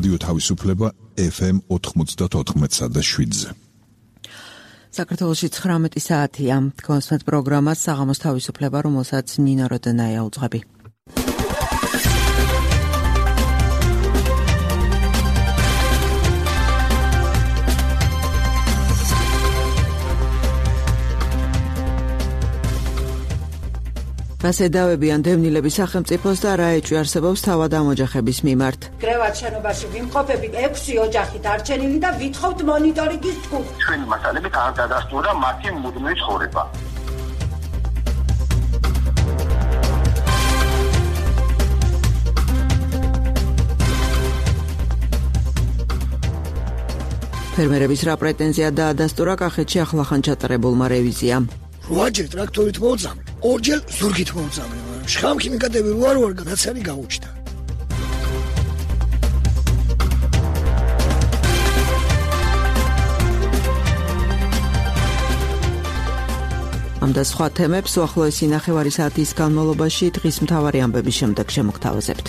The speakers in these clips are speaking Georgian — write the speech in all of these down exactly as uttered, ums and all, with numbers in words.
რადიო თავისუფლება ეფ ემ ოთხმოცდაოთხ და შვიდზე. საქართველოში ცხრამეტი საათია. კონსვენთ პროგრამას საღამოს თავისუფლება, რომელსაც ნინო როდენაია უძღვები. ასედავებიან დევნილების სახელმწიფოს და რა ეჭვი არსებობს თავად ამ ოჯახების მიმართ. კრევათ შენობაში ვიმყოფებით ექვსი ოჯახით არჩენილი და ვითხოვთ მონიტორინგის ჯგუფს. ჩვენი მასალებით არ დადასტურდა მათი მუდმივი ცხოვრება. ფერმერების რა პრეტენზია დაადასტურა კახეთში ახლახან ჩატარებულმა რევიზიამ. რვაჯერ ტრაქტორით მოუწამლე, ორჯერ ზურგით მოუწამლე, მაგრამ შხამქიმიკატები როარ ვარ გადაცანი გაუჩნდა. ამ და სხვა თემებს უახლოესი ნახევარი საათის განმავლობაში დღის მთავარი ამბების შემდეგ შემოგთავაზებთ.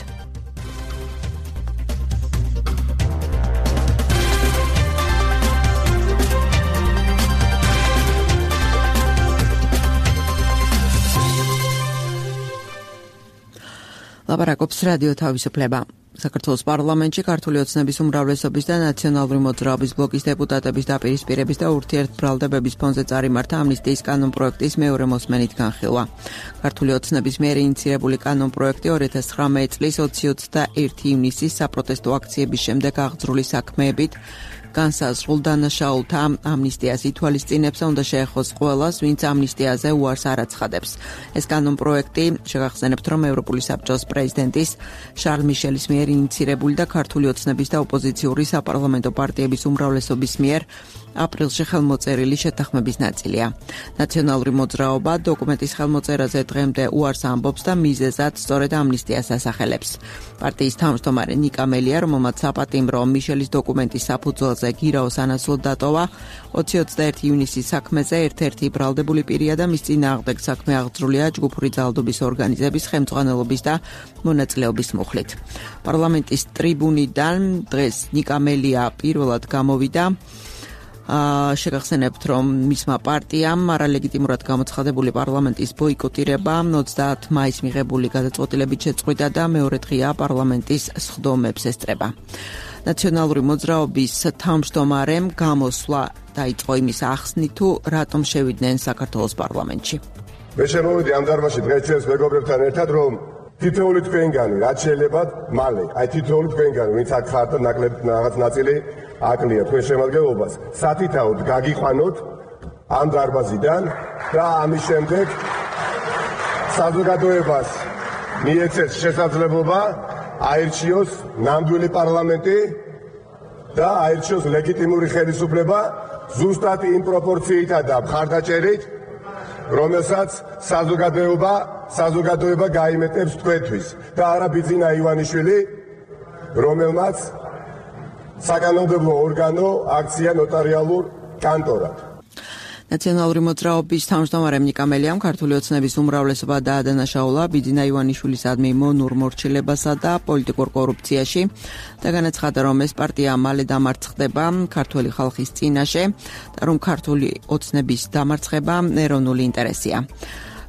ლაპარაკობს რადიო თავისუფლება. საქართველოს პარლამენტში ქართული ოცნების უმრავლესობის და ნაციონალური მოძრაობის ბლოკის დეპუტატების დაპირისპირების და ურთიერთბრალდებების ფონზე წარიმართა ამნისტიის კანონპროექტის მეორე მოსმენით განხილვა. ქართული ოცნების მიერ ინიცირებული კანონპროექტი ორი ათას ცხრამეტი წლის ოცდაერთი ივნისის საპროტესტო აქციების შემდეგ აღძრული საქმეებით განსაზღვრულ დანაშაულთა ამნისტიას ითვალისწინებს და უნდა შეეხოს ყველას, ვინც ამნისტიაზე უარს არ აცხადებს. ეს კანონპროექტი შეგახსენებთ, რომ ევროპული საბჭოს პრეზიდენტის შარლ მიშელის მიერ ინიცირებული და ქართული ოცნების და ოპოზიციური საპარლამენტო პარტიების უმრავლესობის მიერ აპრილში ხელმოწერილი შეთანხმების ნაწილია. ნაციონალური მოძრაობა დოკუმენტის ხელმოწერაზე დღემდე უარს ამბობს და მიზეზად სწორედ ამნისტიას ასახელებს. პარტიის თავმჯდომარე ნიკა მელია, რომელმაც საპატიმრო მიშელის დოკუმენტის საფუძველზე გირაოს ანაცვლოდ დატოვა, ოცი ოცდაერთი ივნისის საქმეზე ერთ-ერთი ბრალდებული პირია და მის წინააღმდეგ საქმე აღძრულია ჯგუფური ძალადობის ორგანიზების ხელმძღვანელობის და მონაწილეობის მუხლით. პარლამენტის ტრიბუნიდან დღეს ნიკა მელია პირველად გამოვიდა. შეგახსენებთ, რომ მისმა პარტიამ არალეგიტიმურად გამოცხადებული პარლამენტის ბოიკოტირება ოცდაათი მაისს მიღებული გადაწყვეტილებით შეწყვიტა და მეორე დღეა პარლამენტის სხდომებს ესწრება. ნაციონალური მოძრაობის თავმჯდომარემ გამოსვლა დაიწყო იმის ახსნით, თუ რატომ შევიდნენ საქართველოს პარლამენტში. მე შემოვიდი ამ დარბაზში დღეს ჩვენს მეგობრებთან ერთად, რომ თითოეული თქვენგანი რაც შეიძლება მალე, აი თითოეული თქვენგანი, ვინც აქ ხართ და ნაკლებ რაღაც ნაწილი აკლია თქვენ შემადგენლობას, სათითაოდ გაგიყვანოთ ამ დარბაზიდან და ამის შემდეგ საზოგადოებას მიეცეს შესაძლებლობა აირჩიოს ნამდვილი პარლამენტი და აირჩიოს ლეგიტიმური ხელისუფლება ზუსტად იმ პროპორციითა და მხარდაჭერით, რომელსაც საზოგადოება საზოგადოება გაიმეტებს თქვენთვის და არა ბიძინა ივანიშვილი, რომელმაც საკანონმდებლო ორგანო აქცია ნოტარიალურ კანტორად. ნაციონალური მოძრაობის თავმჯდომარემ ნიკა მელიამ ქართული ოცნების უმრავლესობა დაადანაშაულა ბიძინა ივანიშვილისადმი მონურ მორჩილებასა და პოლიტიკურ კორუფციაში და განაცხადა, რომ ეს პარტია მალე დამარცხდება ქართული ხალხის წინაშე და რომ ქართული ოცნების დამარცხება ეროვნული ინტერესია.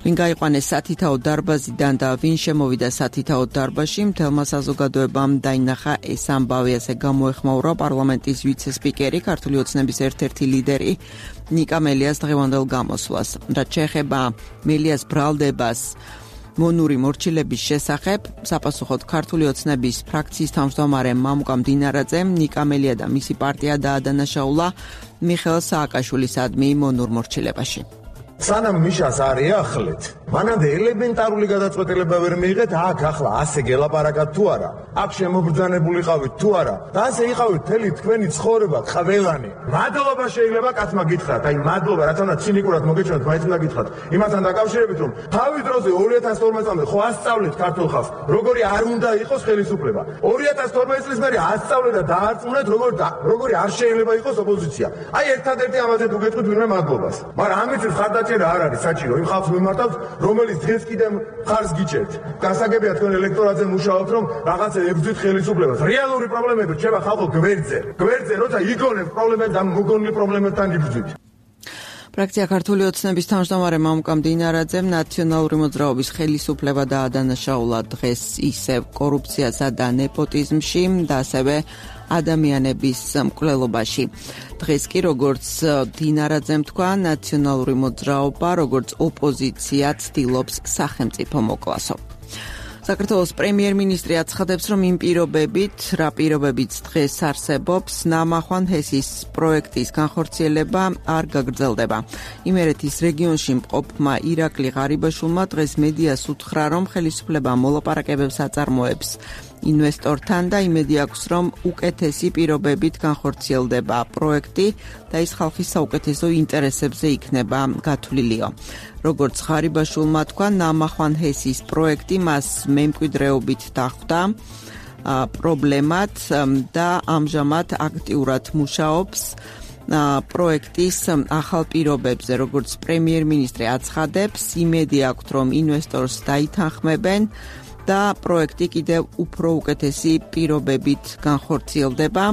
ვინ გაიყვანეს სათითაოდ დარბაზიდან და ვინ შემოვიდა სათითაოდ დარბაზში, მთელმა საზოგადოებამ დაინახა ეს ამბავი, ასე გამოეხმაურა პარლამენტის ვიცე-სპიკერი, ქართული ოცნების ერთ-ერთი ლიდერი ნიკა მელიას დღევანდელ გამოსვლას. რაც შეეხება მელიას ბრალდებას მონური მორჩილების შესახებ, საპასუხოდ ქართული ოცნების ფრაქციის თავმჯდომარე მამუკა მდინარაძემ ნიკა მელია და მისი პარტია დაადანაშაულა მიხეილ სააკაშვილისადმი მონურ მორჩილებაში. სანამ მიშას არ ეახლეთ, მანამდე ელემენტარული გადაწყვეტილება ვერ მიიღეთ, აქ ახლა ასე გელაპარაკათ თუ არა, აქ შემობრძანებულიყავით თუ არა, და ასე იყავით მთელი თქვენი ცხოვრება ყველანი. მადლობა შეიძლება კაცმა გითხრათ, აი მადლობა, რატომაც ცინიკურად მოგეჩვენოთ, მაინც უნდა გითხრათ. იმასთან დაკავშირებით, რომ თავის დროზე ორი ათას თორმეტ წლამდე ხო ასწავლეთ ქართულ ხალხს, როგორი არ უნდა იყოს ხელისუფლება. ორი ათას თორმეტ წლის მერე ასწავლეთ და დაარწმუნეთ, როგორი როგორი არ შეიძლება იყოს ოპოზიცია. აი ერთადერთი ამაზე თუ გეტყვით ვინმე მადლობას. მაგრამ ამით ხარდაჭერა არ არის საჭირო, იმ ხალხს მიმართავს, რომელიც დღეს კიდევ ხარს გიჭერთ. გასაგებია თქვენ ელექტორატზე მუშაობთ, რომ რაღაცა ებრძვით ხელისუფლებას. რეალური პრობლემები რჩება ხალხო გვერდზე. გვერდზე, როცა იგონებთ პრობლემებს, ამ მოგონილი პრობლემებთან იბრძვით. ფრაქცია ქართული ოცნების თავმჯდომარე მამუკა მდინარაძემ ნაციონალური მოძრაობის ხელისუფლება დაადანაშაულა დღეს ისევ კორუფციასა და ნეპოტიზმში და ასევე ადამიანების მკვლელობაში. დღეს კი როგორც მდინარაძემ თქვა, ნაციონალური მოძრაობა როგორც ოპოზიცია ცდილობს სახელმწიფო მოკლასო. საქართველოს პრემიერ-მინისტრი აცხადებს, რომ იმ პირობებით, რა პირობებიც დღეს არსებობს, ნამახვან ჰესის პროექტის განხორციელება არ გაგრძელდება. იმერეთის რეგიონში მყოფმა ირაკლი ღარიბაშვილმა დღეს მედიას უთხრა, რომ ხელისუფლება მოლაპარაკებებს აწარმოებს ინვესტორთან და იმედი აქვს, რომ უკეთესი პირობებით განხორციელდება პროექტი და ის ხალხის საუკეთესო ინტერესებზე იქნება გათვლილიო. როგორც ღარიბაშვილმა თქვა, ნამახვან ჰესის პროექტი მას მემკვიდრეობით დახვდა პრობლემად და ამჟამად აქტიურად მუშაობს პროექტის ახალ პირობებზე. როგორც პრემიერ-მინისტრი აცხადებს, იმედი აქვს, რომ ინვესტორს დაითანხმებენ და პროექტი კიდევ უფრო უკეთესი პირობებით განხორციელდება,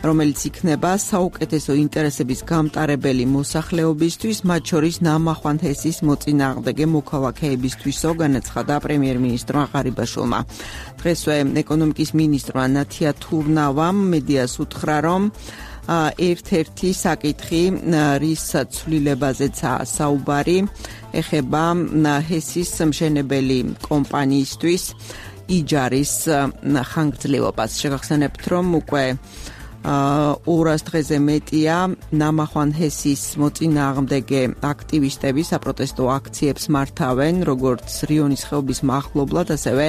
რომელიც იქნება საუკეთესო ინტერესების გამტარებელი მოსახლეობისთვის, მათ შორის ნამახვან ჰესის მოწინააღმდეგე მოქალაქეებისთვისო, განაცხადა პრემიერ-მინისტრმა ღარიბაშვილმა. დღესვე ეკონომიკის მინისტრმა ნათია თურნავამ მედიას უთხრა, რომ ერთ-ერთი საკითხი, რის ცვლილებაზეცაა საუბარი, ეხება ჰესის მშენებელი კომპანიისთვის იჯარის ხანგრძლივობას. შეგახსენებთ, რომ უკვე ორას დღეზე მეტია ნამახვან ჰესის მოწინააღმდეგე აქტივისტები საპროტესტო აქციებს მართავენ, როგორც რიონის ხეობის მახლობლად, ასევე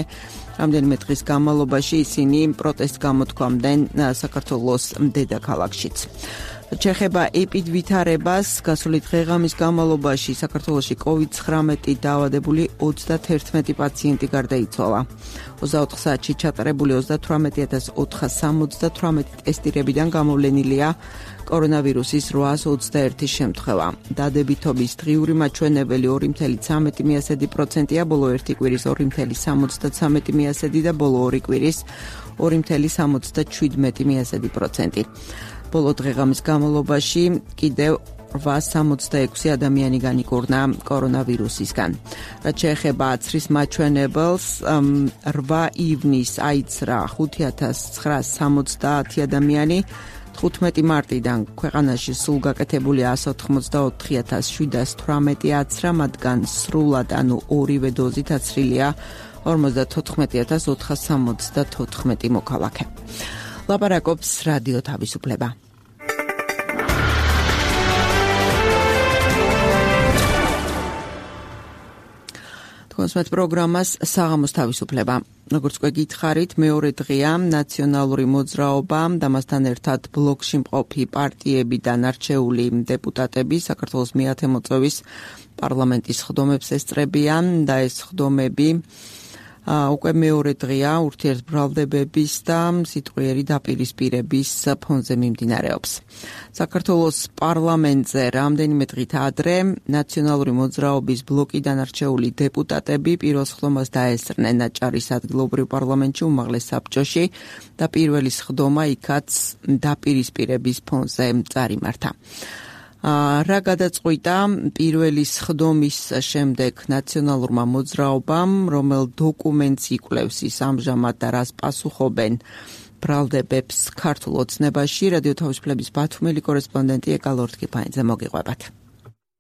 რამდენიმე დღის განმავლობაში ისინი პროტესტს გამოთქვამდნენ საქართველოს დედაქალაქშიც. ჩეხება ეპიდვითარებას, გასული დღე-ღამის განმავლობაში საქართველოში კოვიდ ცხრამეტი დაავადებული ოცდაათერთმეტი პაციენტი გარდაიცვალა. ოცდაოთხ საათში ჩატარებული ოცდათვრამეტი ათას ოთხას სამოცდათვრამეტი ტესტირებიდან გამოვლენილია კორონავირუსის რვაას ოცდაერთი შემთხვევა. დადებითობის დღიური მაჩვენებელი ორი წუთი ცხრამეტი პროცენტია, ბოლო ერთი კვირის ორი წუთი სამოცდაცამეტი და ბოლო ორი კვირის ორი წუთი სამოცდაშვიდმეტი პროცენტი. ბოლო დღე-ღამის განმავლობაში კიდევ რვაას სამოცდაექვსი ადამიანი განიკურნა კორონავირუსისგან. რაც შეეხება აცრის მაჩვენებელს, რვა ივნისს აიცრა ხუთი ათას ცხრაას სამოცდაათი ადამიანი, თხუთმეტი მარტიდან ქვეყანაში სულ გაკეთებულია ასი ოთხმოცდაოთხი ათას შვიდას თვრამეტი აცრა, მათგან სრულად, ანუ ორივე დოზით აცრილია ორმოცდათოთხმეტი ათას ოთხას სამოცდათოთხმეტი მოქალაქე. ლაპარაკობს რადიო თავისუფლება. თქვენს პროგრამას საღამოს თავისუფლება. როგორც უკვე გითხარით, მეორე დღეა ნაციონალური მოძრაობა და მასთან ერთად ბლოკში მყოფი პარტიებიდან არჩეული დეპუტატები საქართველოს მეათე მოწვევის პარლამენტის ხდომებს ესწრებიან და ეს ხდომები უკვე მეორე დღეა ურთიერთბრალდებების და სიტყვიერი დაპირისპირების ფონზე მიმდინარეობს. საქართველოს პარლამენტზე რამდენიმე დღით ადრე ნაციონალური მოძრაობის ბლოკიდან არჩეული დეპუტატები პირველ სხდომას დაესწრნენ აჭარის ადგილობრივ პარლამენტში უმაღლეს საბჭოში და პირველი სხდომა იქაც დაპირისპირების ფონზე წარიმართა. რა გადაწყვიტა პირველი სხდომის შემდეგ ნაციონალურმა მოძრაობამ, რომელ დოკუმენტს იკვლევს ის ამჟამად და რას პასუხობენ ბრალდებებს ქართულ ოცნებაში, რადიო თავისუფლების ბათუმელი კორესპონდენტი ეკა ლორთქიფანიძე მოგიყვებათ.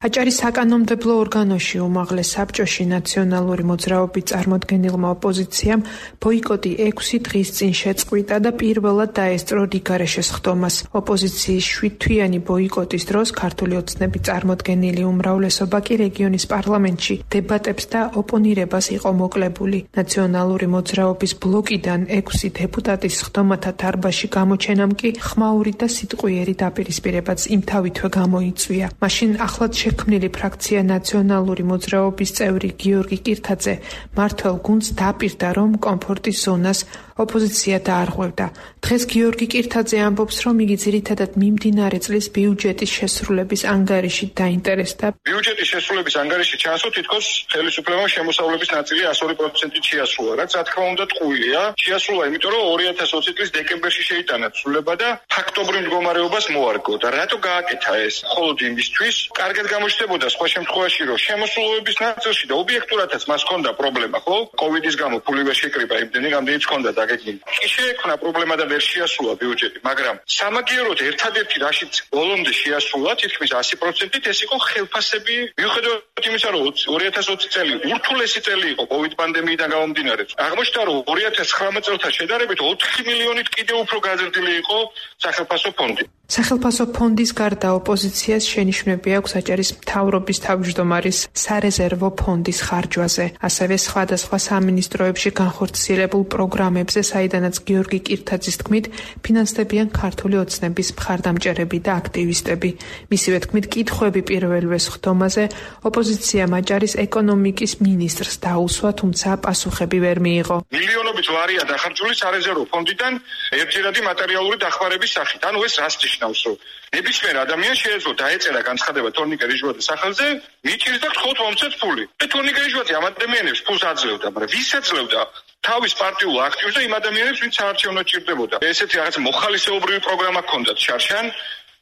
აჭარის საკანონმდებლო ორგანოში უმაღლეს საბჭოში ნაციონალური მოძრაობის წარმოდგენილმა ოპოზიციამ ბოიკოტი ექვსი დღის წინ შეწყვიტა და პირველად დაესწრო რიგარეშე სხდომას. ოპოზიციის შვიდთვიანი ბოიკოტის დროს ქართული ოცნების წარმოდგენილი უმრავლესობა კი რეგიონის პარლამენტში დებატებს და ოპონირებას იყო მოკლებული. ნაციონალური მოძრაობის ბლოკიდან ექვსი დეპუტატის სხდომათა დარბაზში გამოჩენამ კი ხმაური და სიტყვიერი დაპირისპირებაც იმთავითვე გამოიწვია. მაშინ ახლად შექმნილი ფრაქცია ნაციონალური მოძრაობის წევრი გიორგი კირთაძე მართველ გუნდს დაპირდა, რომ კომფორტის ზონას ოპოზიცია დაარღვევდა. დღეს გიორგი კირთაძე ამბობს, რომ იგი ძირითადად მიმდინარე წლის ბიუჯეტის შესრულების ანგარიშით დაინტერესდა. ბიუჯეტის შესრულების ანგარიში ჩანსო თითქოს ხელისუფლებამ შემოსავლების ნაწილი εκατი პროცენტით შეასრულა, რაც რა თქმა უნდა ტყუილია. შეასრულა, იმიტომ რომ ორი ათას ოცი წლის დეკემბერში შეიტანა ცვლილება და ფაქტობრივ მდგომარეობას მოარგო და რატო გააკეთა ეს? მხოლოდ იმისთვის, კარგად გამოჩნდებოდა სხვა შემთხვევაში, რომ შემოსულობის ნაწილში და ობიექტურადაც მას ჰქონდა პრობლემა, ხო? კოვიდის გამო ფული ვერ შეკრიბა, იმდენი რამდენიც ჰქონდა დაგეგმილი. კი შეექმნა პრობლემა და ვერ შეასრულა ბიუჯეტი, მაგრამ სამაგიეროდ ერთადერთი რაშიც ბოლომდე შეასრულა, თითქმის ასი პროცენტით ეს იყო ხელფასები, მიუხედავად იმისა, რომ ორი ათას ოცი წელი ურთულესი წელი იყო კოვიდ პანდემიიდან გამომდინარე. აღმოჩნდა, რომ ორი ათას ცხრამეტ წელთან შედარებით ოთხი მილიონით კიდევ უფრო გაზრდილი იყო სახელფასო ფონდი. სახელფასო ფონდის გარდა ოპოზიციას შენიშვნები აქვს აჭარის მთავრობის თავმჯდომარის სარეზერვო ფონდის ხარჯვაზე, ასევე სხვადასხვა სამინისტროებში განხორციელებულ პროგრამებზე, საიდანაც გიორგი კირთაძის თქმით ფინანსდებიან ქართული ოცნების მხარდამჭერები და აქტივისტები. მისივე თქმით, კითხვები პირველივე სხდომაზე ოპოზიციამ აჭარის ეკონომიკის მინისტრს დაუსვა, თუმცა პასუხები ვერ მიიღო. მილიონობით ლარია დახარჯული სარეზერვო ფონდიდან ერთჯერადი მატერიალური დახმარების სახით. ანუ ეს რას ნიშნავს, რომ ნებისმიერ ადამიანს შეიძლება დაეწერა განცხადება თორნიკე რიჟვაძის სახელზე, მიჭირს და გთხოვთ მომცეთ ფული. და თორნიკე რიჟვაძე ამ ადამიანებს ფულს აძლევდა, მაგრამ ვის აძლევდა? თავის პარტიულ აქტივს და იმ ადამიანებს, ვინც საარჩევნოდ ჭირდებოდა. ესეთი რაღაც მოხალისეობრივი პროგრამა ჰქონდათ შარშან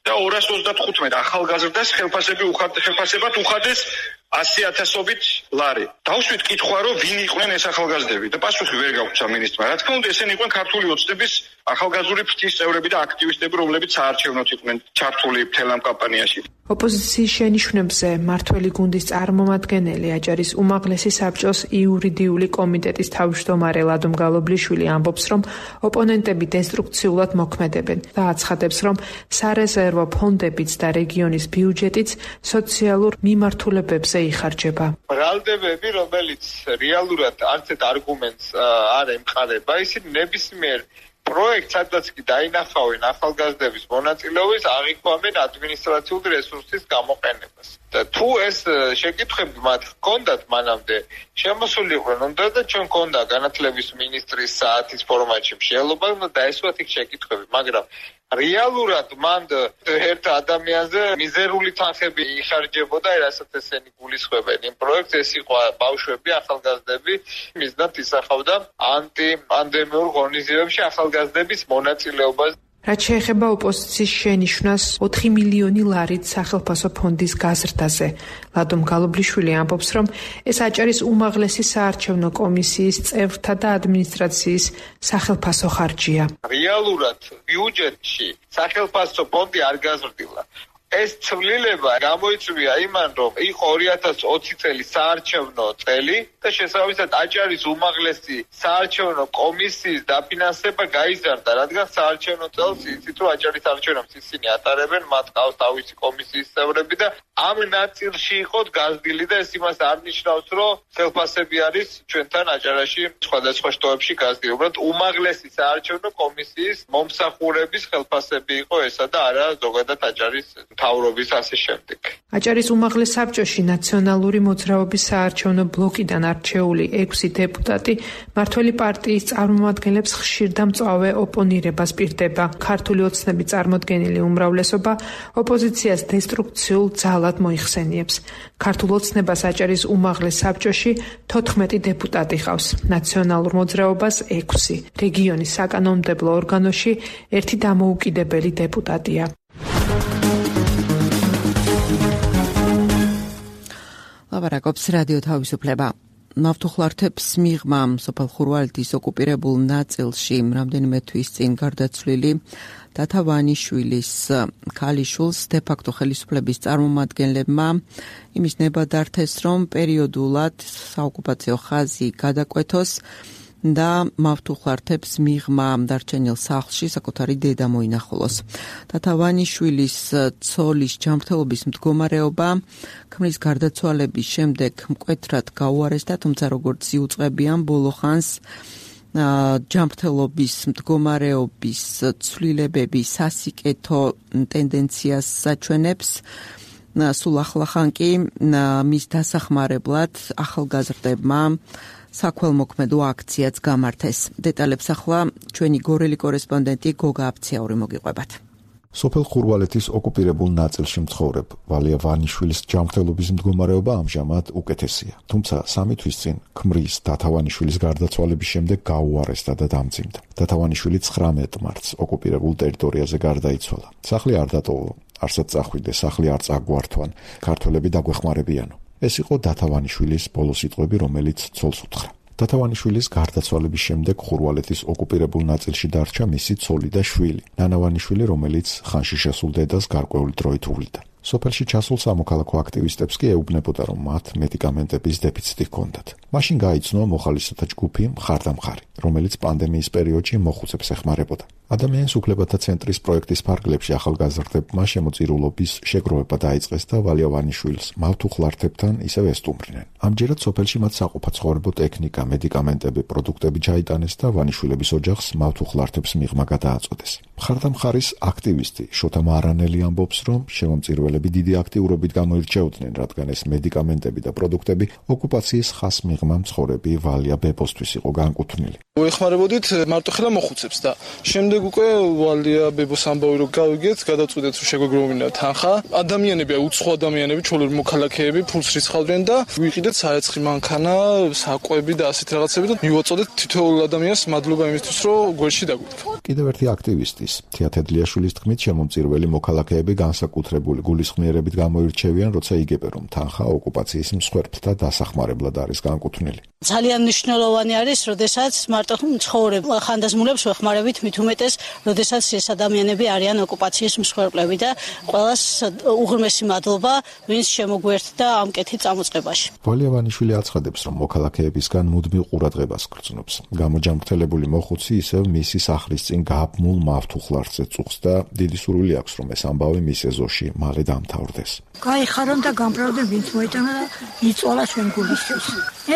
და ორას ოცდათხუთმეტ ახალგაზრდას ხელფასები ხელფასებად უხადეს ასი ათასობით ლარი. დავშვით კითხვა, რომ ვინ იყვნენ ეს ახალგაზრდები და პასუხი ვერ გაგვცა მინისტრმა. რა თქმა უნდა, ესენი იყვნენ ქართული ოცნების ახალგაზრული ფრთის წევრები და აქტივისტები, რომლებიც საარჩევნოდ იყვნენ ჩართული მთელ ამ კამპანიაში. ოპოზიციის შენიშვნებზე მართველი გუნდის წარმომადგენელი აჭარის უმაღლესი საბჭოს იურიდიული კომიტეტის თავმჯდომარე ლადო მგალობლიშვილი ამბობს, რომ ოპონენტები დესტრუქციულად მოქმედებენ და აცხადებს, რომ სარეზერვო ფონდებიც და რეგიონის ბიუჯეტიც სოციალურ მიმართულებებზე იხარჯება. ბრალდებები, რომელიც რეალურად არც ერთ არგუმენტს არ ემყარება, ისინი ნებისმიერ პროექტს, სადაც კი დაინახავენ ახალგაზრდების მონაწილეობის, აღიქვამენ ადმინისტრაციული რესურსის გამოყენებას. და თუ ეს შეკითხვები მათ ჰქონდათ მანამდე, შემოსულიყვნენ, უნდა და ჩვენ ჰქონდა განათლების მინისტრის საათის ფორმატში მსჯელობა, უნდა დაესვათ იქ შეკითხვები, მაგრამ რეალურად მანდ ერთ ადამიანზე მიზერული თანხები იხარჯებოდა, რასაც ესენი გულისხმობენ იმ პროექტს, ეს იყო ბავშვები, ახალგაზრდები, მიზნად ისახავდა ანტიპანდემიურ ღონისძიებებში ახალგაზრდების მონაწილეობას. რაც შეეხება ოპოზიციის შენიშვნას ოთხი მილიონი ლარით სახელფასო ფონდის გაზრდაზე, ლადო მგალობლიშვილი ამბობს, რომ ეს აჭარის უმაღლესი საარჩევნო კომისიის წევრთა და ადმინისტრაციის სახელფასო ხარჯია. რეალურად ბიუჯეტში სახელფასო ფონდი არ გაზრდილა. ეს ცვლილება გამოიწვია იმან, რომ იყო ორი ათას ოცი წელი საარჩევნო წელი და შესაბამისად აჭარის უმაღლესი საარჩევნო კომისიის დაფინანსება გაიზარდა, რადგან საარჩევნო წელს იცით, რომ აჭარის არჩევნებს ისინი ატარებენ, მათ ყავს თავისი კომისიის წევრები და ამ ნაწილში იყო გაზრდილი და ეს იმას არ ნიშნავს, რომ ხელფასები არის ჩვენთან აჭარაში სხვადასხვა შტოებში გაზრდილი. უბრალოდ უმაღლესი საარჩევნო კომისიის მომსახურების ხელფასები იყო ესა და არა ზოგადად აჭარის თავრობის ასე შემდეგ. აჭარის უმაღლეს საბჭოში ნაციონალური მოძრაობის საარჩევნო ბლოკიდან არჩეული ექვსი დეპუტატი მართველი პარტიის წარმომადგენლებს ხშირ და მწვავე ოპონირებას პირდება. ქართული ოცნების წარმოდგენილი უმრავლესობა ოპოზიციას დესტრუქციულ ძალად მოიხსენიებს. ქართულ ოცნებას აჭარის უმაღლეს საბჭოში თოთხმეტი დეპუტატი ყავს, ნაციონალურ მოძრაობას ექვსი. რეგიონის საკანონმდებლო ორგანოში ერთი დამოუკიდებელი დეპუტატია. ლაპარაკობს რადიო თავისუფლება. ნავთუხლართებს მიღმა სოფელ ხურვალეთის ოკუპირებულ ნაწილში რამდენიმე თვის წინ გარდაცვლილი დათა ვანიშვილის ქალიშვილს დე-ფაქტო ხელისუფლების წარმომადგენლებმა იმის ნება დართეს, რომ პერიოდულად საოკუპაციო ხაზი გადაკვეთოს და მავთუხლართებს მიღმა დარჩენილ სახლში საკუთარი დედა მოინახულოს. დათა ვანიშვილის ცოლის ჯანმრთელობის მდგომარეობა ქმრის გარდაცვალების შემდეგ მკვეთრად გაუარესდა, თუმცა როგორც იუწყებიან ბოლო ხანს ჯანმრთელობის მდგომარეობის ცვლილებები სასიკეთო ტენდენციას საჩვენებს. სულ ახლახან კი მის დასახმარებლად ახალგაზრდებმა საქველმოქმედო აქციაც გამართეს. დეტალებს ახლა ჩვენი გორელი კორესპონდენტი გოგა აფციაური მოგიყვებათ. სოფელ ხურვალეთის ოკუპირებულ ნაწილში მცხოვრებ ვალია ვანიშვილის ჯანმრთელობის მდგომარეობა ამჟამად უკეთესია. თუმცა სამი თვის წინ ქმრის დათავანიშვილის გარდაცვალების შემდეგ გაუარესდა და დამძიმდა. დათავანიშვილი ცხრამეტ მარტს ოკუპირებულ ტერიტორიაზე გარდაიცვალა. სახლი არ დატოვო, არსად წახვიდე, სახლი არ წაგვართვან, ქართველები დაგვეხმარებიანო. ეს იყო დათავანიშვილის ბოლო სიტყვები, რომელიც ცოლს უთხრა. დათავანიშვილის გარდაცვალების შემდეგ ხურვალეთის ოკუპირებულ ნაწილში დარჩა მისი ცოლი და შვილი, ნანავანიშვილი, რომელიც ხანში შესულ დედას გარკვეული დროით უვლიდა. სოფელში ჩასულ სამოქალაქო აქტივისტებს კი ეუბნებოდა, რომ მათ მედიკამენტების დეფიციტი ჰქონდათ. მაშინ გაიცნო მოხალისეთა ჯგუფი მხარდამხარი, რომელიც პანდემიის პერიოდში მოხუცებს ეხმარებოდა. ადამიანის უფლებათა ცენტრის პროექტის ფარგლებში ახალგაზრდებმა შემოწირულობის შეგროვება დაიწყეს და ვალია ვანიშვილს მავთუხლართებთან ისევ ესტუმრნენ. ამჯერად სოფელში მათ საყოფაცხოვრებო ტექნიკა, მედიკამენტები, პროდუქტები ჩაიტანეს და ვანიშვილების ოჯახს მავთუხლართებს მიღმა გადააწოდეს. მხარდამხარის აქტივისტი შოთა მარანელი ამბობს, რომ შემომწირულები დიდი აქტიურობით გამოირჩეოდნენ, რადგან ეს მედიკამენტები და პროდუქტები ოკუპაციის ხას მიღმა მცხოვრები ვალია ბებოსთვის იყო განკუთვნილი. ვეხმარებოდით მარტო ხელა მოხუცებს და შემდეგ უკვე ვალია ბებოს ამბავი რომ გავიგეთ, გადავწყვიტეთ რომ შეგვეგროვებინა თანხა. ადამიანები, უცხო ადამიანები, ჩვეულებრივ მოქალაქეები ფულს რიცხავდნენ და ვიყიდეთ საეცხი მანქანა, საკვები და ასეთ რაღაცები და მივაწოდეთ თითოეულ ადამიანს მადლობა იმისთვის, რომ გვერდში დაგვიდგა. კიდევ ერთი აქტივისტის, თეათედლიაშვილის თქმით, შემომწირველი მოქალაქეები განსაკუთრებული გულისხმიერებით გამოირჩევიან, როცა იგებენ, რომ თანხა ოკუპაციის მსხვერპლთა დასახმარებლად არის განკუთვნილი. ძალიან მნიშვნელოვანი არის, როდესაც მარტო ცხოვრებ ხანდაზმულებს ვეხმარებით, მით უმეტეს, როდესაც ეს ადამიანები არიან ოკუპაციის მსხვერპლები და ყველას უღრმესი მადლობა, ვინც შემოგვერთდა ამ კეთილ წამოწყებაში. ვალია ვანიშვილი აცხადებს, რომ მოქალაქეებისგან მუდმივ ყურადღებას გრძნობს. გამოჯანმრთელებული მოხუცი ისევ მისი სახლის წინ გაბმულ მავთუხლართზე წუხს და დიდი სურვილი აქვს, რომ ეს ამბავი მის ეზოში მალე დამთავრდეს. გაიხარონ და გამправდნენ, ვინც მოიტანა და იწვალა ჩვენ გულისთვის.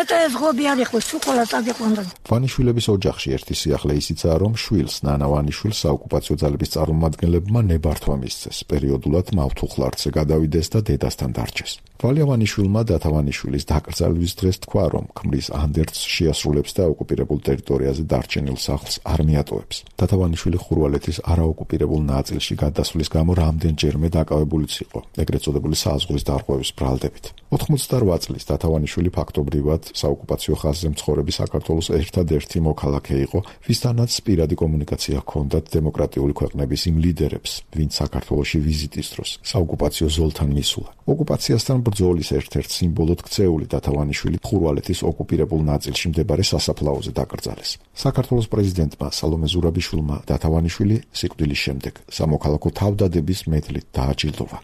ეტა ეს ღობი არ იყო, თუ ყველა წაგიყვანდა. ვანიშვილების ოჯახში ერთი სიახლე ისიცაა, რომ შვილს ნანა ვანიშვილს საოკუპაციო ძალების წარმომადგენლებმა ნებართვა მისცეს. პერიოდულად მავთუხლართზე გადავიდეს და დედასთან დარჩეს. ვალია ვანიშვილმა დათავანიშვილის დაკრძალვის დღეს თქვა, რომ ქმრის ანდერძს შეასრულებს და ოკუპირებულ ტერიტორიაზე დარჩენილ სახლს არ მიატოვებს. დათავანიშვილი ხურვალეთის არაოკუპირებულ ნაწილში გადასვლის გამო რამდენჯერმე დაკავებულიც იყო, ეგრეთ წოდებული საზღვრის დარღვევის ბრალდებით. ოთხმოცდარვა წლის დათავანიშვილი ფაქტობრივად საოკუპაციო ხაზზე მცხოვრები საქართველოს ერთადერთი მოქალაქე იყო, ვისთანაც პირადი კომუნიკაცია ჰქონდათ დემოკრატიული ქვეყნების იმ ლიდერებს, ვინც საქართველოში ვიზიტის დროს საოკუპაციო ზოლთან მისულა. ოკუპაციასთან ბრძოლის ერთ-ერთ სიმბოლოდ ქცეული დათავანიშვილი ხურვალეთის ოკუპირებულ ნაწილში მდებარე სასაფლაოზე დაკრძალეს. საქართველოს პრეზიდენტმა სალომე ზურაბიშვილმა დათავანიშვილი სიკვდილის შემდეგ სამოქალაქო თავდადების მედლით დააჯილდოვა.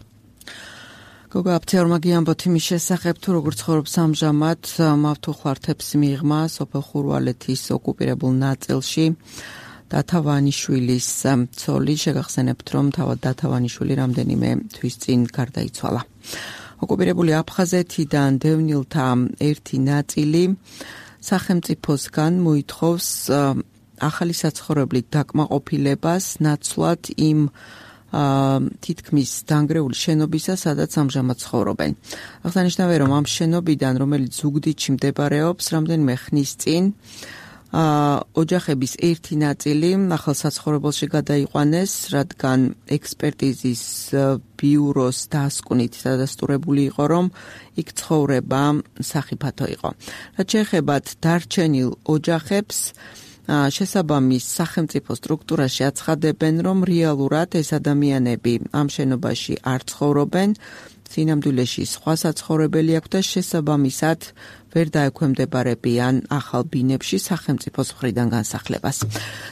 გოგა აფციაურმა გიამბოთ იმის შესახებ, თუ როგორ ცხოვრობს ამჟამად მავთუხლართებს მიღმა სოფელ ხურვალეთის ოკუპირებულ ნაწილში. დათავანიშვილის ცოლი შეგახსენებთ, რომ თავად დათავანიშვილი რამდენიმე თვის წინ გარდაიცვალა. ოკუპირებული აფხაზეთიდან დევნილთა ერთი ნაწილი სახელმწიფოსგან მოითხოვს ახალი საცხოვრებლით დაკმაყოფილებას ნაცვლად იმ თითქმის დანგრეული შენობისა, სადაც ამჟამად ცხოვრობენ. აღსანიშნავია, რომ ამ შენობიდან, რომელიც ზუგდიდში მდებარეობს, რამდენიმე ხნის წინ ოჯახების ერთი ნაწილი ახალ საცხოვრებელში გადაიყვანეს, რადგან ექსპერტიზის ბიუროს დასკვნით დადასტურებული იყო, რომ იქ ცხოვრება სახიფათო იყო. რაც შეეხებათ დარჩენილ ოჯახებს, შესაბამის სახელმწიფო სტრუქტურაში აცხადებენ, რომ რეალურად ეს ადამიანები ამ შენობაში არ ცხოვრობენ, სინამდვილეში სხვა საცხოვრებელი აქვს და შესაბამისად ვერ დაექვემდებარებიან ახალ ბინებში სახელმწიფოს მხრიდან განსახლებას.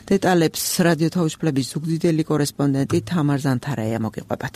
დეტალებს რადიო თავისუფლების ზუგდიდელი კორესპონდენტი თამარ ზანთარაია მოგიყვებათ.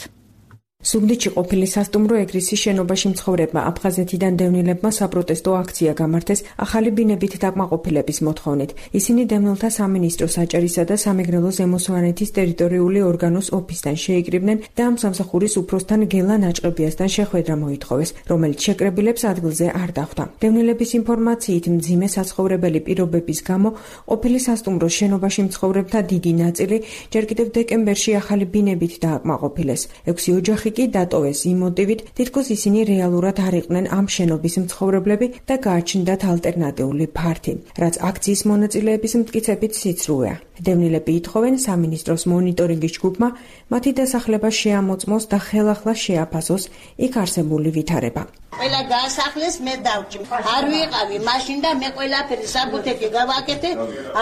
ზუგდიდში ყოფილი სასტუმრო ეგრისის შენობაში მცხოვრებმა აფხაზეთიდან დევნილებმა საპროტესტო აქცია გამართეს ახალი ბინებით დაკმაყოფილების მოთხოვნით. ისინი დევნილთა სამინისტრო საჭერისა და სამეგრელო ზემოსვანეთის ტერიტორიული ორგანოს ოფისთან შეიკრიბნენ და ამ სამსახურის უფროსთან გელა ნაჭყებიასთან შეხვედრა მოითხოვეს, რომელიც შეკრებილებს ადგილზე არ დახვდა. დევნილების ინფორმაციით, მძიმე საცხოვრებელი პირობების გამო ყოფილი სასტუმროს შენობაში მცხოვრებთა დიდი ნაწილი ჯერ კიდევ დეკემბერში ახალი ბინებით დააკმაყოფილეს. ექვსი ოჯახი კი დატოვეს იმ მოტივით, თითქოს ისინი რეალურად არ იყვნენ ამ შენობის მცხოვრებლები და გააჩნდათ ალტერნატიული ფართი, რაც აქციის მონაწილეების მტკიცებით სიცრუეა. დევნილები ითხოვენ სამინისტროს მონიტორინგის ჯგუფმა მათი დასახლება შეამოწმოს და ხელახლა შეაფასოს იქ არსებული ვითარება. ყველა გაასახლეს მე დავჭი. არ ვიყავი მაშინ და მე ყველაფერი საბუთეთი გავაკეთე,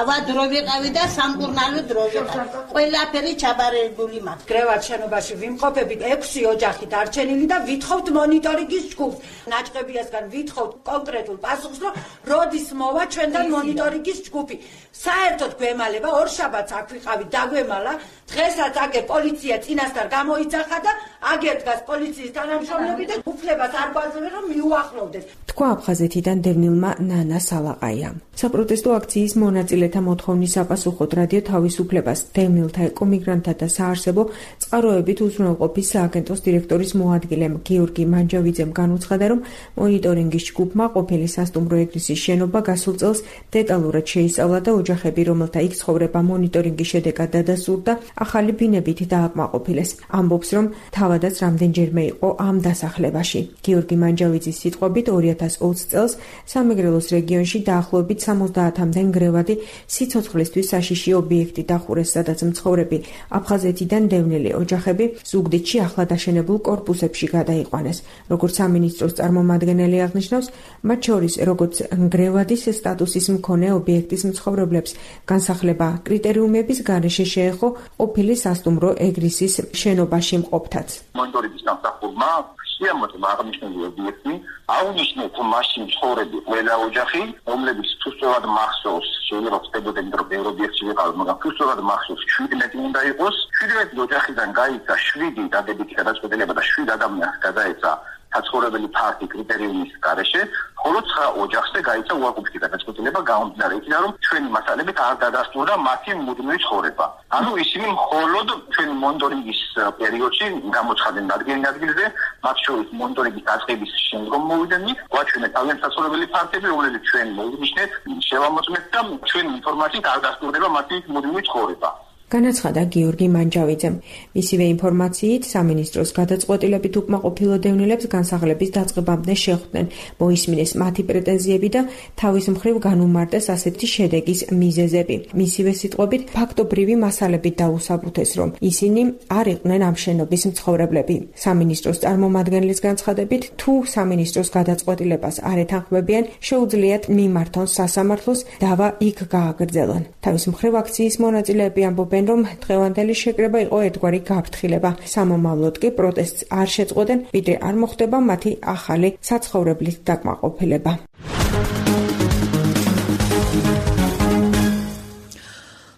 ავადრო ვიყავი და სამკურნალო დრო ვიყავი. ყველაფერი ჩაბარებული მაქვს. გრევად შენობაში ვიმყოფებით ექვსი ოჯახი დარჩენილი და ვითხოვთ მონიტორინგის ჯგუფს. ნაჭყებიასგან ვითხოვთ კონკრეტულ პასუხს, რომ როდის მოვა ჩვენთან მონიტორინგის ჯგუფი. საერთოდ გვემალება ორ შაბათს აქ ვიყავი დაგვემალა, დღესაც აგერ პოლიცია წინასწარ გამოიძახა და აგერ დგას პოლიციის თანამშრომლები და უფლებას არ გვაძლევენ რომ მიუახლოვდეს. თქვა აფხაზეთიდან დევნილმა ნანა სალაყაიამ. საპროტესტო აქციის მონაწილეთა მოთხოვნის საპასუხოდ რადიო თავისუფლებას დევნილთა ეკომიგრანტთა და საარსებო წყაროებით უზრუნველყოფის სააგენტოს დირექტორის მოადგილემ გიორგი მანჯავიძემ განუცხადა, რომ მონიტორინგის ჯგუფმა ყოფილი სასტუმრო ეგრისის შენობა გასულ წელს დეტალურად შეისწავლა და ოჯახები, რომელთა იქ ცხოვრება მონიტორინგის შედეგად დადასტურდა, ახალი ბინებით დააკმაყოფილეს. ამბობს, რომ თავადაც რამდენჯერმე იყო ამ დასახლებაში. გიორგი მანჯავიძის სიტყვებით ორი ათას ოცი წელს სამეგრელოს რეგიონში დაახლოებით სამოცდაათამდე ნგრევადი სიცოცხლისთვის საშიში ობიექტი დახურეს, სადაც მცხოვრები აფხაზეთიდან დევნილი ოჯახები ზუგდიდში ახლად აშენებულ კორპუსებში გადაიყვანეს. როგორც სამინისტროს წარმომადგენელი აღნიშნავს, მათ შორის როგორც ნგრევადის სტატუსის მქონე ობიექტის მცხოვრებლებს განსახლება კრიტერიუმების გარეშე შეეხო ყოფილი სასტუმრო ეგრისის შენობაში მყოფთაც. მონიტორინგის დამსახურმა შეამოწმა აღნიშნული ობიექტი, აუნიშნეთ მაშინ ცხოვრები ყველა ოჯახი, რომლებიც თუსწორად მახსოვს, შეიძლება ხდებოდნენ რომ ბევრი ობიექტი ვიყავ, მაგრამ თუსწორად მახსოვს შვიდმეტი უნდა იყოს. შვიდმეტი ოჯახიდან გაიცა შვიდი დადებითი გადაწყვეტილება და შვიდ ადამიანს გადაეცა საცხოვრებელი ფართი კრიტერიუმის გარეშე, ხოლო ცხრა ოჯახზე გაიცა უარყოფითი გადაწყვეტილება გამომდინარე იქიდან, რომ ჩვენი მასალებით არ დადასტურდა მათი მუდმივი ცხოვრება. ანუ ისინი მხოლოდ ჩვენი მონიტორინგის პერიოდში გამოცხადნენ ადგილი ადგილზე, მათ შორის მონიტორინგის დაწყების შემდგომ მოვიდნენ, გვაჩვენეთ თავიანთი საცხოვრებელი ფართები, რომლებიც ჩვენ მოვინიშნეთ, შევამოწმეთ და ჩვენი ინფორმაციით არ დასტურდება მათი მუდმივი ცხოვრება. განაცხადა გიორგი მანჯავიძემ. მისივე ინფორმაციით სამინისტროს გადაწყვეტილებით უკმაყოფილო დევნილებს განსახლების დაწყებამდე შეხვდნენ, მოისმინეს მათი პრეტენზიები და თავის მხრივ განუმარტეს ასეთი შედეგის მიზეზები. მისივე სიტყვებით ფაქტობრივი მასალებით დაუსაბუთეს, რომ ისინი არ იყვნენ ამ შენობის მცხოვრებლები. სამინისტროს წარმომადგენლის განცხადებით, თუ სამინისტროს გადაწყვეტილებას არ ეთანხმებიან, შეუძლიათ მიმართონ სასამართლოს, დავა იქ გააგრძელონ. თავის მხრივ აქციის მონაწილეები ამბობენ, რომ დღევანდელი შეკრება იყო ერთგვარი გაფრთხილება. სამომავლოდ კი პროტესტს არ შეწყვეტენ, ვიდრე არ მოხდება მათი ახალი საცხოვრებლით დაკმაყოფილება.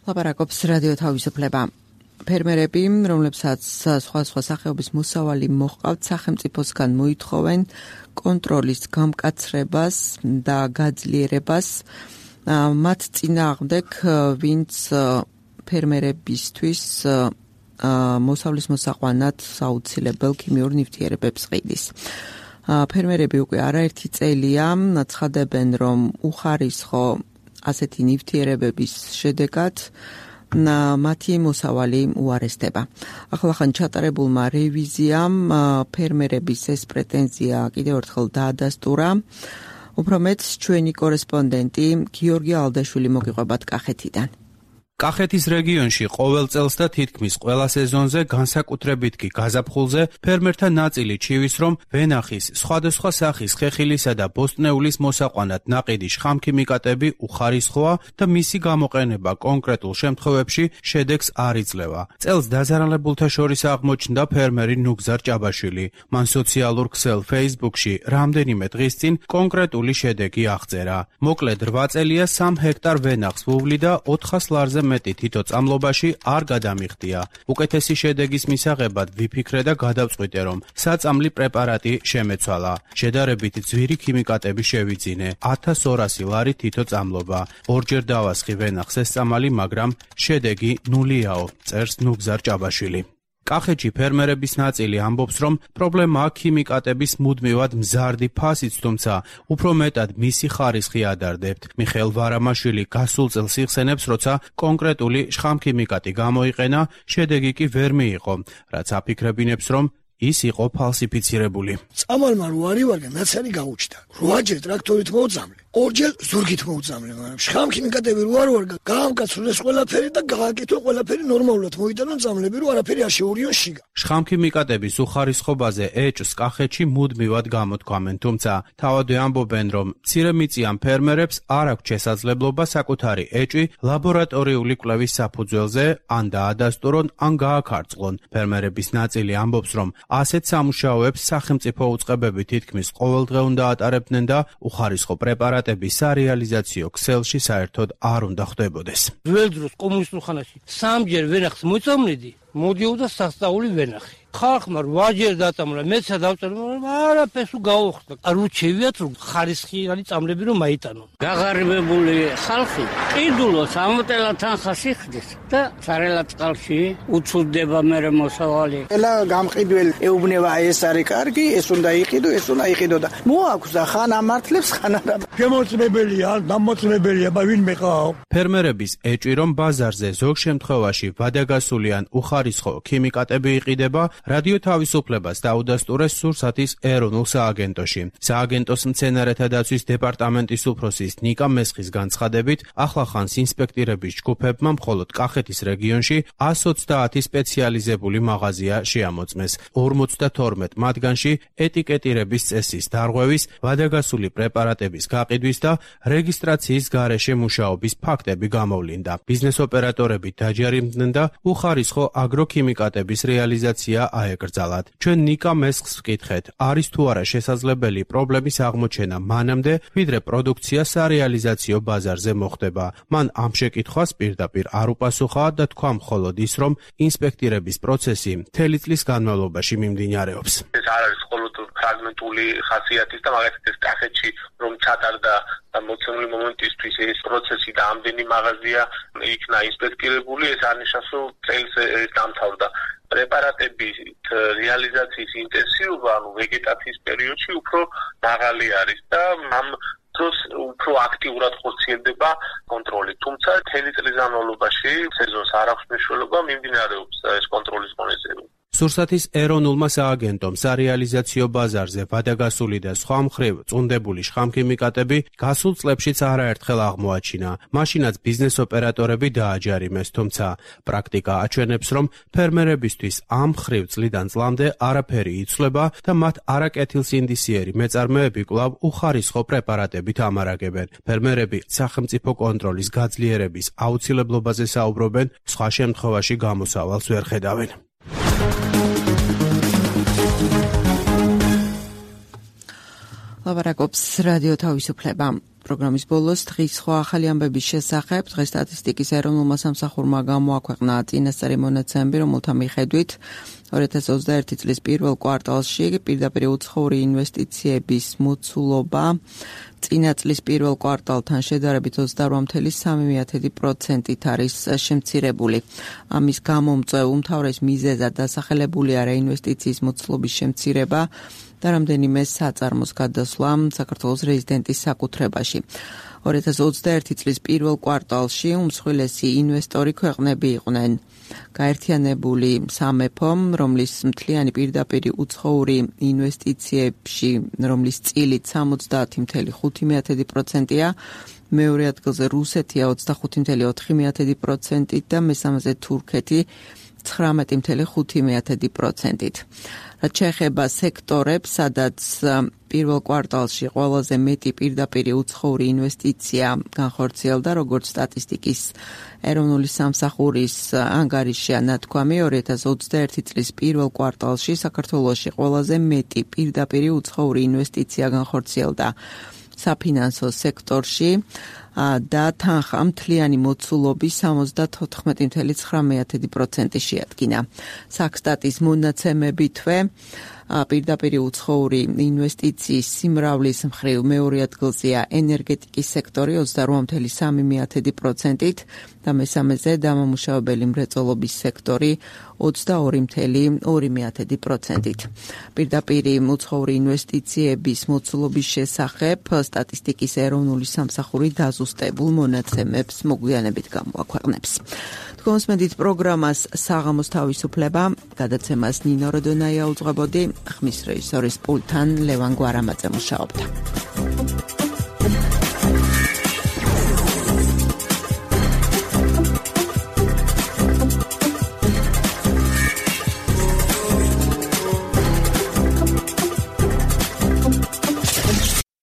ლაპარაკობს რადიო თავისუფლება. ფერმერები, რომლებსაც სხვადასხვა სახეობის მოსავალი მოჰყავთ, სახელმწიფოსგან მოითხოვენ კონტროლის გამკაცრებას და გაძლიერებას მათ წინააღმდეგ, ვინც ფერმერებისთვის მოსავლის მოსაყვანად საუცილებელ ქიმიურ ნივთიერებებს ყიდის. ფერმერები უკვე არაერთი წელია ცხადებენ, რომ უხარისხო ასეთი ნივთიერებების შედეგად მათი მოსავალი უარესდება. ახლახან ჩატარებულმა რევიზიამ ფერმერების ეს პრეტენზია კიდევ ერთხელ დაადასტურა. უფრო მეტს ჩვენი კორესპონდენტი გიორგი ალდაშვილი მოგიყვებათ კახეთიდან. კახეთის რეგიონში ყოველ წელს და თითქმის ყველა სეზონზე, განსაკუთრებით კი გაზაფხულზე, ფერმერთა ნაწილი ჩივის, რომ ვენახის, სხვადასხვა სახის ხეხილისა და ბოსტნეულის მოსაყვანად ნაყიდი შხამქიმიკატები უხარისხოა და მისი გამოყენება კონკრეტულ შემთხვევებში შედეგს არ იძლევა. წელს დაზარალებულთა შორის აღმოჩნდა ფერმერი ნუგზარ ჭაბაშვილი. მან სოციალურ ქსელ Facebook-ში რამდენიმე დღის წინ კონკრეტული შედეგი აღწერა. მოკლედ რვა წელია სამ ჰექტარ ვენახს ვუვლი და ოთხას ლარზე მეტი თითო წამლობაში არ გადამიხდია. უკეთესი შედეგის მისაღებად ვიფიქრე და გადავწყვიტე, რომ საწამლი პრეპარატი შემეცვალა. შედარებით ძვირი ქიმიკატები შევიძინე. ათას ორასი ლარი თითო წამლობა. ორჯერ დავასხი ვენახს ეს წამალი, მაგრამ შედეგი ნულიაო, წერს ნუგზარ ჭაბაშვილი. კახეთში ფერმერების ნაწილი ამბობს, რომ პრობლემაა ქიმიკატების მუდმივად მზარდი ფასიც, თუმცა უფრო მეტად მისი ხარისხი ადარდებთ. მიხეილ ვარამაშვილი გასულ წელს იხსენებს, როცა კონკრეტული შხამქიმიკატი გამოიყენა, შედეგი კი ვერ მიიღო, რაც აფიქრებინებს, რომ ის იყო ფალსიფიცირებული. წამალმა რო არი ვარგა ნაცარი გაუჩნდა. რვაჯერ ტრაქტორით მოუწამლე, ორჯერ ზურგით მოუწამლე, მაგრამ შხამქი მიკატები რო არ ვარგა, გაამკაცრეს ყველაფერი და გააკეთო ყველაფერი ნორმალურად მოიტანონ წამლები, რო არაფერი არ შეურიონ შიგა. შხამქი მიკატების უხარისხობაზე ეჭს კახეთში მუდმივად გამოთქვამენ, თუმცა თავადვე ამბობენ, რომ მცირემიწიან ფერმერებს არ აქვს შესაძლებლობა საკუთარი ეჭი ლაბორატორიული კვლევის საფუძველზე ან დაადასტურონ, ან გააქარწყლონ. ფერმერების ნაწილი ამბობს, რომ ასეთ სამუშაოებს სახელმწიფო უწყებები თითქმის ყოველდღე უნდა ატარებდნენ და უხარისხო პრეპარატების სარეალიზაციო ქსელში საერთოდ არ უნდა ხდებოდეს. ძველ დროს კომუნისტურ ხანაში სამჯერ ვენახს მოწამლედი, მოდიოდა სასწაული ვენახი. ხალხმა რვაჯერ დაწამლა, მეცა დავწერე, მაგრამ არაფერს გაუხსნა. არუჩევიათ რომ ხარისხიანი წამლები რომ მაიტანონ. გაღარიბებული ხალხი ყიდულოს ამოტელა თანხას იხდის და სარელად წყალში უცუდება მერე მოსავალი. ელა გამყიდველი ეუბნება ეს არის კარგი, ეს უნდა იყიდო, ეს უნდა იყიდო და მოაქვს და ხან ამართლებს, ხან არა. შემოწმებელია, დამოწმებელია, ბა ვინმე ყავ. ფერმერების ეჭვი რომ ბაზარზე ზოგ შემთხვევაში ვადაგასული ან უხარისხო ქიმიკატები იყიდება, რადიო თავისუფლებას დაუდასტურეს სურსათის ეროვნულ სააგენტოში. სააგენტოს მცენარეთა დაცვის დეპარტამენტის უფროსის ნიკა მესხის განცხადებით, ახლახანს ინსპექტირების ჯგუფებმა მხოლოდ კახეთის რეგიონში ას ოცდაათი სპეციალიზებული მაღაზია შეამოწმეს. ორმოცდათორმეტ მათგანში ეტიკეტირების წესის დარღვევის, ვადაგასული პრეპარატების გაყიდვის და რეგისტრაციის გარეშე მუშაობის ფაქტები გამოვლინდა. ბიზნეს ოპერატორები დაჯერიმდნენ და უხარისხო აგროქიმიკატების რეალიზაცია აეკრძალათ. ჩვენ ნიკა მესხს ვკითხეთ, არის თუ არა შესაძლებელი პრობლემის აღმოჩენა მანამდე, ვიდრე პროდუქცია სარეალიზაციო ბაზარზე მოხდება. მან ამ შეკითხვას პირდაპირ არ უპასუხა და თქვა მხოლოდ ის, რომ ინსპექტირების პროცესი მთელი წლის განმავლობაში მიმდინარეობს. ეს არ არის მხოლოდ ფრაგმენტული ხასიათის და მაგალითად ეს კახეთში რომ ჩატარდა მოცემული მომენტისთვის ეს პროცესი და ამდენი მაღაზია იქნა ინსპექტირებული, ეს არნიშნავს, რომ წელს ეს დამთავრდა. პრეპარატების რეალიზაციის ინტენსივობა, ანუ ვეგეტაციის პერიოდში უფრო მაღალი არის და ამ დროს უფრო აქტიურად ხორციელდება კონტროლი. თუმცა მთელი წლის განმავლობაში სეზონს არ აქვს მნიშვნელობა, მიმდინარეობს ეს კონტროლის მონაცემები. სურსათის ეროვნულმა სააგენტომ სარეალიზაციო ბაზარზე ვადაგასული და სხვა მხრივ წუნდებული შხამქიმიკატები გასულ წლებშიც არაერთხელ აღმოაჩინა. მაშინაც ბიზნეს ოპერატორები დააჯარიმეს, თუმცა პრაქტიკა აჩვენებს, რომ ფერმერებისთვის ამ მხრივ წლიდან წლამდე არაფერი იცვლება და მათ არაკეთილსინდისიერი მეწარმეები კვლავ უხარისხო პრეპარატებით ამარაგებენ. ფერმერები სახელმწიფო კონტროლის გაძლიერების აუცილებლობაზე საუბრობენ, სხვა შემთხვევაში გამოსავალს ვერ ხედავენ. ლაბარაკობს რადიო თავისუფლება. პროგრამის ბოლოს დღის სხვა ახალი ამბების შესახებ დღეს სტატისტიკის ეროვნულმა სამსახურმა გამოაქვეყნა წინასწარი მონაცემები, რომელთა მიხედვით ორი ათას ოცდაერთი წლის პირველ კვარტალში პირდაპირ უცხოური ინვესტიციების მოცულობა წინა წლის პირველ კვარტალთან შედარებით ოცდარვა ფاصლე სამი პროცენტით არის შემცირებული. ამის გამომწვევ უმთავრეს მიზეზად დასახელებულია რეინვესტიციის მოცულობის შემცირება და რამდენიმე საწარმოს გადასვლა საქართველოს რეზიდენტის საკუთრებაში. ორი ათას ოცდაერთი წლის პირველ კვარტალში უმსხვილესი ინვესტორი ქვეყნები იყვნენ გაერთიანებული სამეფო, რომლის მთლიანი პირდაპირი უცხოური ინვესტიციებში, რომლის წილით სამოცდაათი ფاصლე ხუთი პროცენტია, მეორე ადგილზე რუსეთია ოცდახუთი ფაصლე ოთხი პროცენტით და მესამეზე თურქეთი ცხრამეტი ფაصლე ხუთი პროცენტით. რაც შეეხება სექტორებს, სადაც პირველ კვარტალში ყველაზე მეტი პირდაპირი უცხოური ინვესტიცია განხორციელდა, როგორც სტატისტიკის ეროვნული სამსახურის ანგარიშია ნათქვამი, ორი ათას ოცდაერთი წლის პირველ კვარტალში საქართველოში ყველაზე მეტი პირდაპირი უცხოური ინვესტიცია განხორციელდა საფინანსო სექტორში და თანხა მთლიანი მოცულობის სამოცდათოთხმეტი ფაصლე ცხრამეტი პროცენტი შეადგინა. საქსტატის მონაცემებითვე პირდაპირ უცხოური ინვესტიციის სიმრავლის მხრივ მეორე ადგილზეა ენერგეტიკის სექტორი ოცდაოთხ კoma სამი პროცენტით და მესამეზე დამამუშავებელი მრეწველობის სექტორი ოცდაორი კoma ორი პროცენტით. პირდაპირ უცხოური ინვესტიციების მოცულობის შესახებ სტატისტიკის ეროვნული სამსახური დაზუსტებულ მონაცემებს მოგვიანებით გამოაქვეყნებს. თქვენს მედით პროგრამას საღამოს თავისუფლება, გადაცემას ნინო როდონაია უძღვებოდი, ხმის რეჟისორის პულტთან ლევან გვარამაძე მუშაობდა.